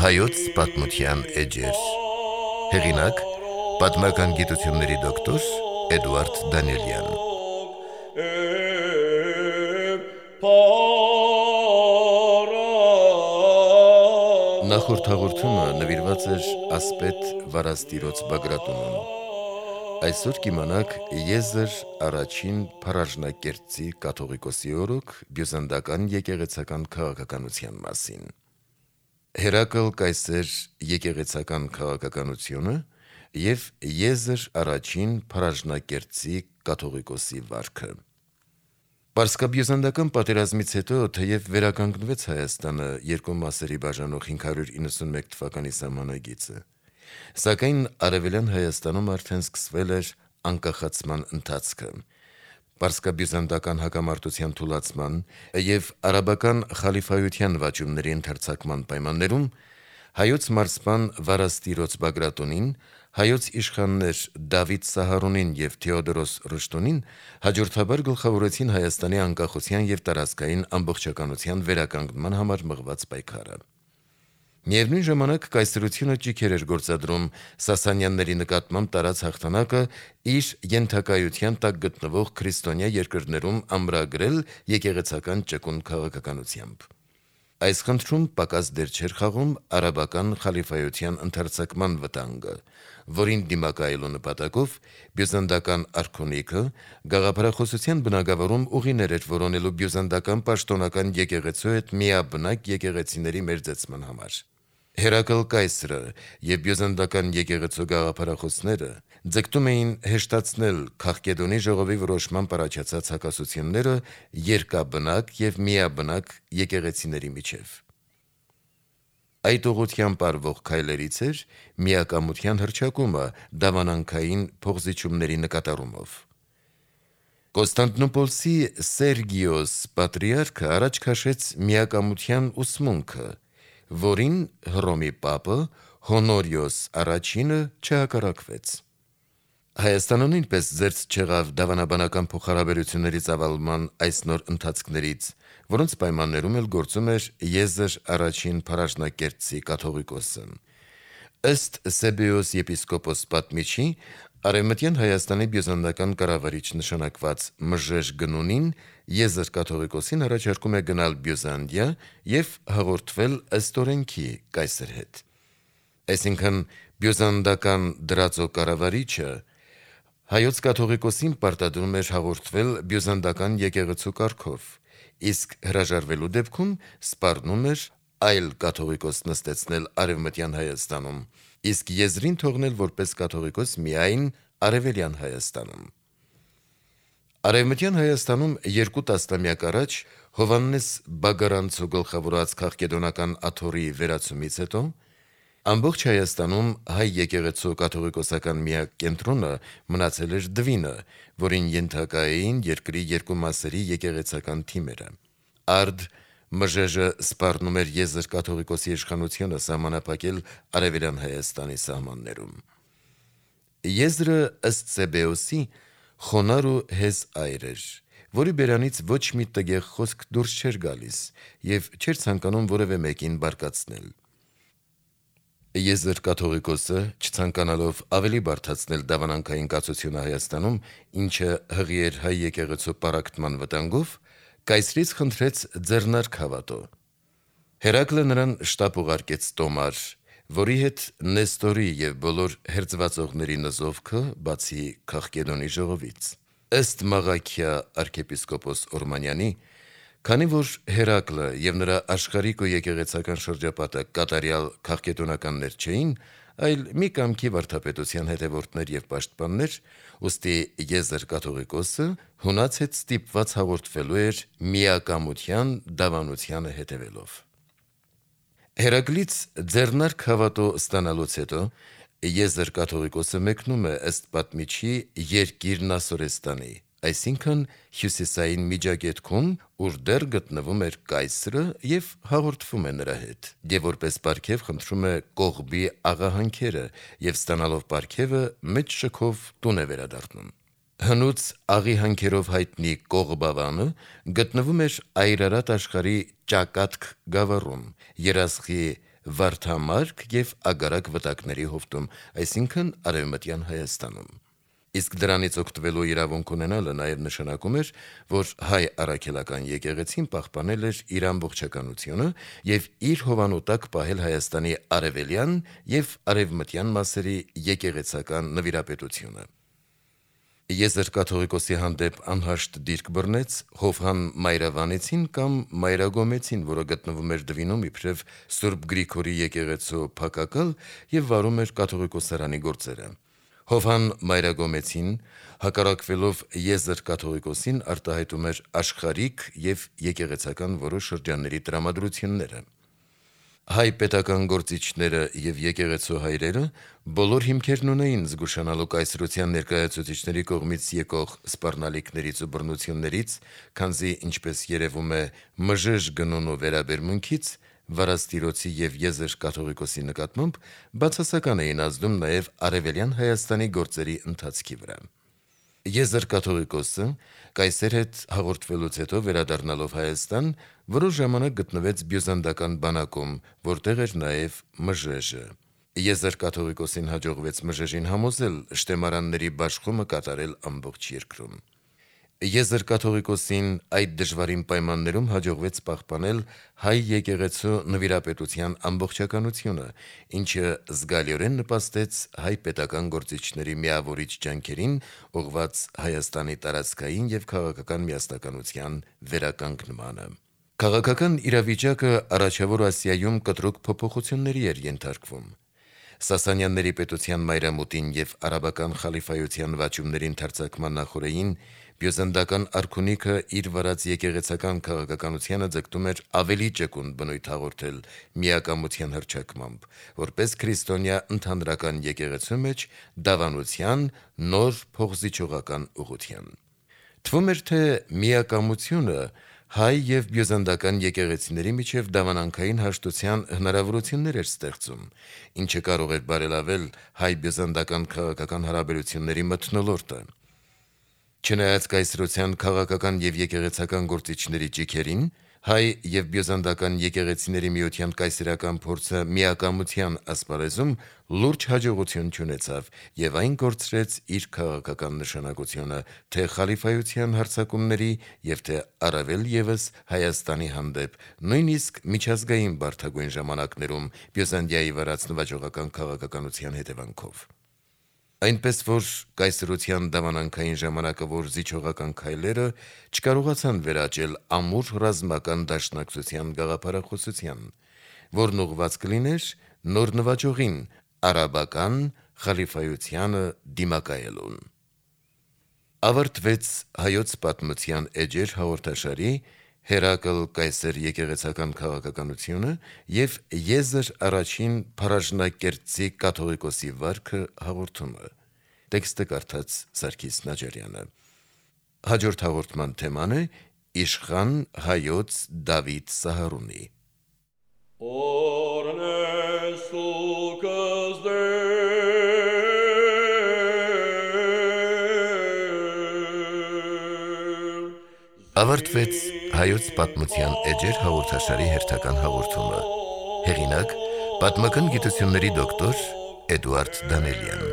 Հայոց պատմության էջեր։ Հեղինակ՝ պատմական գիտությունների դոկտոր Էդուարդ Դանիելյան։ Նախորդ հաղորդումը նվիրված էր ասպետ Վարաստիրոց Բագրատունուն։ Այսօր կիմանաք Եզր առաջին փառաջնակերտցի կաթողիկոսի օրոք բյուզանդական եկեղեցական քաղաքականության մասին։ Հերակլ կայսեր եկեղեցական քաղաքականությունը և Եզր առաջին փառաջնակերտցի կաթողիկոսի վարքը։ Պարսկաբյուզանդական պատերազմից հետո, թեև վերականգնվեց Հայաստանը երկու մասերի բաժանող 591 թվականի սահմանագիծը, սակայն Արևելյան Հայաստանում արդեն սկսվել էր անկախացման ընթացքը։ Պարսկաբյուզանդական հակամարտության թուլացման և արաբական խալիֆայության վաճումների ընդարձակման պայմաններում հայոց մարզպան Վարաստիրոց Բագրատունին, հայոց իշխաններ Դավիթ Սահարոնին և Թեոդորոս Ռշտունին հաջորդաբար գլխավորեցին Հայաստանի անկախության և տարածքային ամբողջականության վերականգնման համար մղված պայքարը։ Միևնույն ժամանակ կայսրությունը ճիգեր էր գործադրում Սասանյանների նկատմամբ տարած հաղթանակը իր ենթակայության տակ գտնվող քրիստոնյա երկրներում ամրագրել եկեղեցական ճկուն քաղաքականությամբ։ Այս խնդրում պակաս դեր չէր խաղում արաբական խալիֆայության ընդարձակման վտանգը, որին դիմակայելու նպատակով բյուզանդական արքունիքը գաղափարախոսության բնագավառում ուղիներ էր որոնելու բյուզանդական պաշտոնական եկեղեցու հետ միաբնակ եկեղեցիների մերձեցման համար։ Հերակլ կայսրը և բյուզանդական եկեղեցու գաղափարախոսները ձգտում էին հեշտացնել Քաղկեդոնի ժողովի որոշմամբ առաջացած հակասությունները երկաբնակ և միաբնակ եկեղեցիների միջև։ Այդ ուղղությամբ արվող քայլերից էր միակամության հռչակումը դավանանքային փոխզիջումների նկատառումով։ Կոնստանտինոպոլսի Սերգիոս պատրիարքը առաջ քաշեց միակամության ուսմունքը, որին Հռոմի պապը Հոնորիոս առաջինը չհակառակվեց։ Հայաստանը նույնպես զերծ չեղավ դավանաբանական փոխհարաբերությունների ծավալման այս նոր ընթացքներից, որոնց պայմաններում էլ գործում էր Եզր առաջին փառաջնակերտցի կաթողիկոսը։ Ըստ Սեբեոս եպիսկոպոս պատմիչի, Արևմտյան Հայաստանի բյուզանդական կառավարիչ նշանակված Մժեժ Գնունին Եզր կաթողիկոսին առաջարկում է գնալ Բյուզանդիա և հաղորդվել ըստ օրենքի կայսր հետ։ Այսինքն բյուզանդական դրածո կառավարիչը հայոց կաթողիկոսին պարտադրում էր հաղորդվել բյուզանդական եկեղեցու կարգով, իսկ հրաժարվելու դեպքում սպառնում էր այլ կաթողիկոս նստեցնել Արևմտյան Հայաստանում, իսկ եզրին թողնել որպես կաթողիկոս միայն Արևելյան Հայաստանում։ Արևմտյան Հայաստանում երկու տասնամյակ առաջ Հովհաննես Բագարանցու գլխավորած քաղկեդոնական աթոռի վերացումից հետո ամբողջ Հայաստանում հայ եկեղեցու կաթողիկոսական միակ կենտրոնը մնացել էր Դվինը, որին ենթակա էին երկրի երկու մասերի եկեղեցական թիմերը։ Արդ Մժեժը սպառնում էր Եզր կաթողիկոսի իշխանությունը սահմանափակել Արևելյան Հայաստանի սահմաններում։ Եզրը ըստ Սեբեոսի խոնար ու հեզ այր էր, որի բերանից ոչ մի տգեղ խոսք դուրս չէր գալիս և չէր ցանկանում որևէ մեկին բարկացնել։ Եզր կաթողիկոսը, չցանկանալով ավելի բարդացնել դավանանքային կացությունը Հայաստանում, ինչը հղի էր հայ եկեղեցու պառակտման վտանգով, կայսրից խնդրեց ձեռնարկ հավատո։ Հերակլը նրան շտապ ուղարկեց տոմար, որի հետ Նեստորի և բոլոր հերձվածողների նզովքը, բացի Քաղկեդոնի ժողովից։ Ըստ Մաղաքիա arczepiskopos Օրմանյանի, քանի որ Հերակլը և նրա աշխարհիկ ու եկեղեցական շրջապատը կատարյալ քաղկեդոնականներ չէին, այլ մի կամքի վարդապետության հետևորդներ և պաշտպաններ, ուստի Եզր կաթողիկոսը հունած հետ ստիպված հաղորդվելու էր միակամության դավանությանը հետևելով։ Հերակլից ձեռնարկ հավատո ստանալուց հետո Եզր կաթողիկոսը մեկնում է ըստ պատմիչի երկիր Նասորեստանի, այսինքն հյուսիսային Միջագետքում, ուր դեռ գտնվում էր կայսրը եւ հաղորդվում է նրա հետ, եւ որպես պարգև խնդրում է կողբի աղահանքերը եւ ստանալով պարգևը մեծ շքով տուն է վերադառնում։ Հնուց աղի հանքերով հայտնի Կողբավանը գտնվում էր Այրարատ աշխարհի Ճակատք գավառում, Երասխի Վարդամարկ եւ Ագարակ վտակների հովտում, այսինքն Արևմտյան Հայաստանում։ Իսկ դրանից օգտվելու իրավունք ունենալը նաև նշանակում էր, որ հայ առաքելական եկեղեցին պահպանել էր իր ամբողջականությունը եւ իր հովանու տակ պահել Հայաստանի արևելյան եւ արևմտյան մասերի եկեղեցական նվիրապետությունը։ Եզր կաթողիկոսի հանդեպ անհաշտ դիրք բռնեց Հովհան Մայրավանեցին կամ Մայրագոմեցին, որը գտնվում էր Դվինում իբրև Սուրբ Գրիգորի եկեղեցու փակակալ եւ վարում էր կաթողիկոսարանի գործերը։ Հովհան Մայրագոմեցին, հակառակվելով Եզր կաթողիկոսին, արտահայտում էր աշխարհիկ եւ եկեղեցական որոշ շրջանների տրամադրությունները։ Հայ պետական գործիչները եւ եկեղեցու հայրերը բոլոր հիմքերն ունեին զգուշանալու կայսրության ներկայացուցիչների կողմից եկող սպառնալիքներից ու բռնություններից, քանզի ինչպես երևում է մժժ գնունու վերաբերմունքից վարաստիրոցի եւ Եզր կաթողիկոսի նկատմամբ բացասական էին ազդում նաեւ արևելյան Հայաստանի գործերի ընթացքի վրա։ Եզր կաթողիկոսը կայսեր հետ հաղորդվելուց հետո վերադառնալով Հայաստան որոշ ժամանակ գտնվեց բյուզանդական բանակում, որտեղ էր նաև մժեժը։ Եզր կաթողիկոսին հաջողվեց մժեժին համոզել շտեմարանների բաշխումը կատարել ամբողջ երկրում։ Եզր կաթողիկոսին այդ դժվարին պայմաններում հաջողվեց պահպանել հայ եկեղեցու նվիրապետության ամբողջականությունը, ինչը զգալիորեն նպաստեց հայ պետական գործիչների միավորիչ ջանքերին ուղղված Հայաստանի տարածքային եւ քաղաքական միասնականության վերականգնմանը։ Քաղաքական իրավիճակը առաջավոր Ասիայում կտրուկ փոփոխությունների էր ենթարկվում։ Սասանյանների պետության մայրամուտին եւ արաբական խալիֆայության վաճումների ընդարձակման նախօրեին բյուզանդական արքունիքը իր վարած եկեղեցական քաղաքականությանը ձգտում էր ավելի ճկուն բնույթ հաղորդել միակամության հռչակմամբ, որպես քրիստոնյա ընդհանրական եկեղեցու մեջ դավանության նոր փոխզիջողական ուղղության։ Թվում էր, թե միակամությունը հայ եւ բյուզանդական եկեղեցիների միջև դավանանքային հաշտության հնարավորություններ էր ստեղծում, ինչը կարող էր բարելավել հայ-բյուզանդական քաղաքական հարաբերությունների մթնոլորտը։ Չնայած կայսրության քաղաքական եւ եկեղեցական գործիչների ճիգերին, հայ եւ բյուզանդական եկեղեցիների միության կայսերական փորձը միակամության ասպարեզում լուրջ հաջողություն չունեցավ եւ այն կորցրեց իր քաղաքական նշանակությունը թե խալիֆայության հարձակումների եւ թե առավել եւս Հայաստանի հանդեպ, նույնիսկ միջազգային բարդագույն ժամանակներում Բյուզանդիայի վարած նվաճողական քաղաքականության հետևանքով։ Այնպես որ կայսրության դավանանքային ժամանակը որ զիջողական քայլերը չկարողացան վերաճել ամուր ռազմական դաշնակցության գաղափարախոսության, որն ուղղված կլիներ նոր նվաճողին արաբական խալիֆայությանը դիմակայելուն։ Ավարտվեց հայոց պատմության էջեր հաղորդաշարի Հերակլ կայսեր եկեղեցական քաղաքականությունը եւ Եզր առաջին փարաժնակերտցի կաթողիկոսի վարքը հաղորդումը։ Տեքստը կարդաց Սարգիս Նաջարյանը։ Հաջորդ հաղորդման թեման է Իշխան հայոց Դավիթ Սահարունի։ Ավարտվեց հայոց պատմության էջեր հաղորդաշարի հերթական հաղորդումը։ Հեղինակ՝ պատմական գիտությունների դոկտոր Էդուարդ Դանելյան։